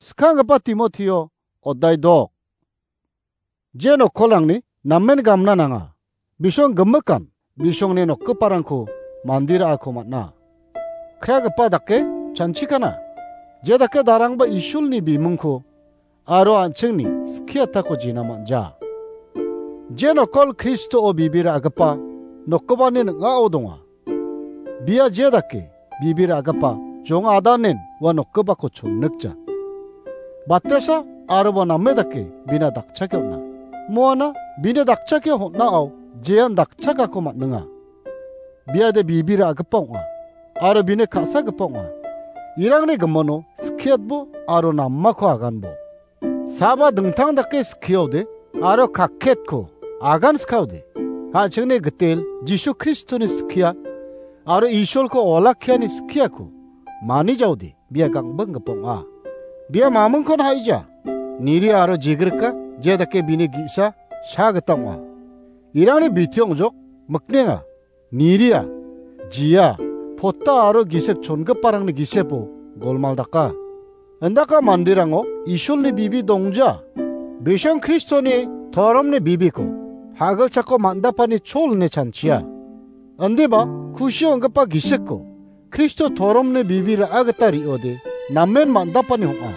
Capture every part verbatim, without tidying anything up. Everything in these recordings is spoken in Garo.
Skanggipa Timotio, odai dok. Je nokkolrangni namen gamna nanga. Bisong gimikan, bisongni nokgiparangko mandi ra·ako man·a. Kragipa dake chanchikana. Je dake darangba Isolni bimungko aro an·chingni skiatako jina man·ja. Je nokkol Kristoo bibi ra·gipa nokgipani ning·ao donga. Bia je dake bibi ra·gipa jong adanen ua nokgipako chonnikja. Batesa aroba name dake bina dakchake on·a. Moana bini dakchake hon·ao jean dakchakako man·enga. Biade bibi ra·gipa ong·a, aro bini ka·sagipa ong·a. Irangni gimino skiatbo aro namako aganbo. Saba dingtang dake skiode aro kaketko agan skaode. An·chingni gitel Jisu Kristoni skia aro Isolko olakkiani skiako manijaode bia gangbinggipa ong·a. Bia mamingkon ha·ija. Niri aro jigrika je dake bini gi·sa sa gita ong·a. Irangni biti ong·jok miknenga. Niria, jia, pota aro gisik chongiparangni gisepo golmal daka. Indaka manderango Isolni bibi dongja. Bisong Kristoni toromni bibiko hagilchako man·dapani chol ine chanchia. Indiba kusi ong·gipa gisikko Kristo toromni bibi ra·a gita re·ode namen man·dapani ong·a.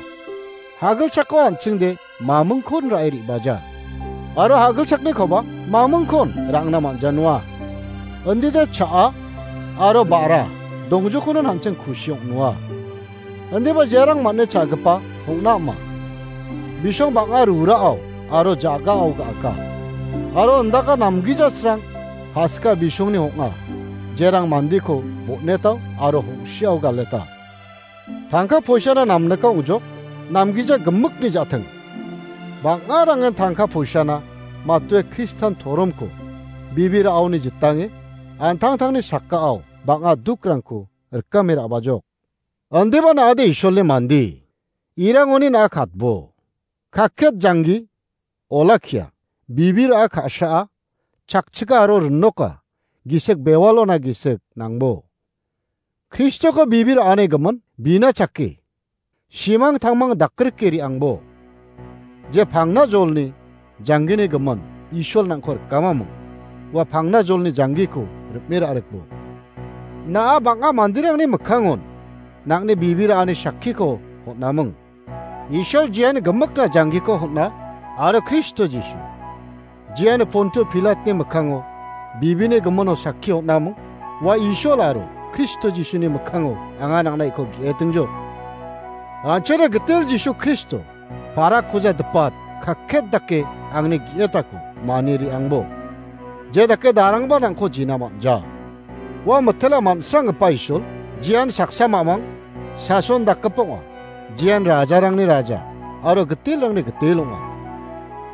Hagilchako an·chingde mamingkon ra·e re·baja. Aro hagilchaknikoba mamingkon ra·angna man·janoa. Indide cha·a aro ba·ra dongjokonon an·ching kusi ong·noa. Indiba jerang man·e cha·gipa ong·na ama. Bisong bang·a rurao aro jagao ga·aka. Aro indaka namgijasrang hasika bisongni ong·a. Jerang mandeko bon·etao aro hong·siao galeta. Tangka poisana namnika ong·jok, namgija gimikni ja·ting. Bang·arangen tangka poisana matue Kristan toromko bibi ra·aoni jitange an·tangtangni sakao bang·a dukrangko rikame ra·bajok. Indiba na·ade Isolni mande, irangoni na·a katbo. Kaket janggi, olakkia, bibi ra·a ka·saa, chakchika aro rinoka, gisik bewalona gisik nangbo. Kristoko bibi ra·ani gimin bina chake. Simang tangmang dakrike re·angbo. Je pangna jolni janggini gimin Isol nang·ko rikamaming. Ua pangna jolni janggiko ripme ra·rikbo. Na·a bang·a manderangni mikkangon nang·ni bibi ra·ani sakkiko hon·aming. Isol jiani gimikna janggiko hon·a aro Kristo Jisu. Jiani Pontio Pilatni mikkango bibini gimino sakki on·aming, ua Isol aro Kristo Jisuni mikkango anga nang·na iko ge·etingjok. An·chingni gitel Jisu Kristo, parakoja dipat, kaket dake angni ge·etako mani re·angbo. Je dake darangba nang·ko jina man·ja. Ua mitela man·sranggipa Isol, jian saksa mamang, sason dakgipa ong·a. Jian rajarangni raja aro gitelrangni gitel ong·a.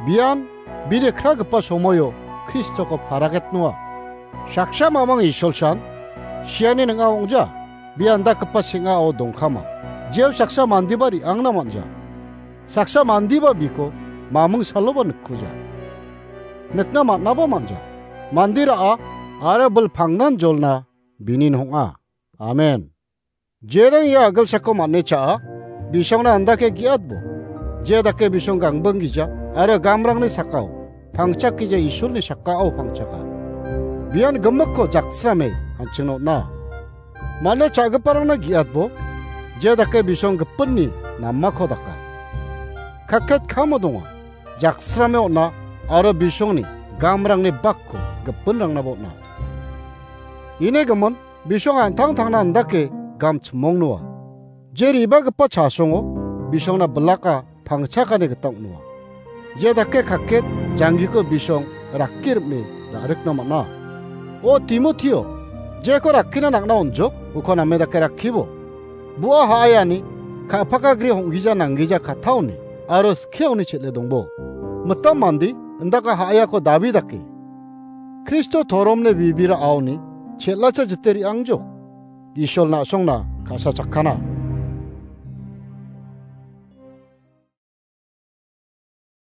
Bian bini kragipa somoio Kristoko paragetnoa. Saksa mamang Isolsan siani ning·a ong·ja, bia indakgipa seng·ao dongkama. Jeo saksa mandeba re·angna man·ja. Saksa mandeba biko maming saloba nikkuja. Nikna man·aba man·ja. Mande ra·a aro bil pangnan jolna bini ong·a. Amen. Jerang ia agilsako man·e cha·a, bisongna andake ge·atbo. Je dake bisong gangbing gija aro gamrangni sakao pangchak gija Isolni sakao pangchaka. Bian gimikko jaksrame an·chingna on·a. Man·e cha·giparangna ge·atbo, je dake bisong gipinni namako daka. Kaket kamo donga, jaksrame on·a aro bisongni gamrangni bakko gipinrangnaba on·a. Ine gimin, bisong an·tangtangna indake gam chimongnoa. Je ribagipa chasongo bisongna bilaka pangchakani gita ong·noa. Je dake kaket janggiko bisong rakki rim·e ra·rikna man·a. O Timotio, jeko rakkina nang·na on·jok, uko name dake rakkibo. Bua ha·ayani ka·pakagri hong·gija nanggija kattaoni aro skiaoni chel·e dongbo. Mitam mande indaka ha·ayako dabi dake Kristo toromni bibira aoni chel·acha jite re·angjok. Isol na·songna ka·sa chakkana.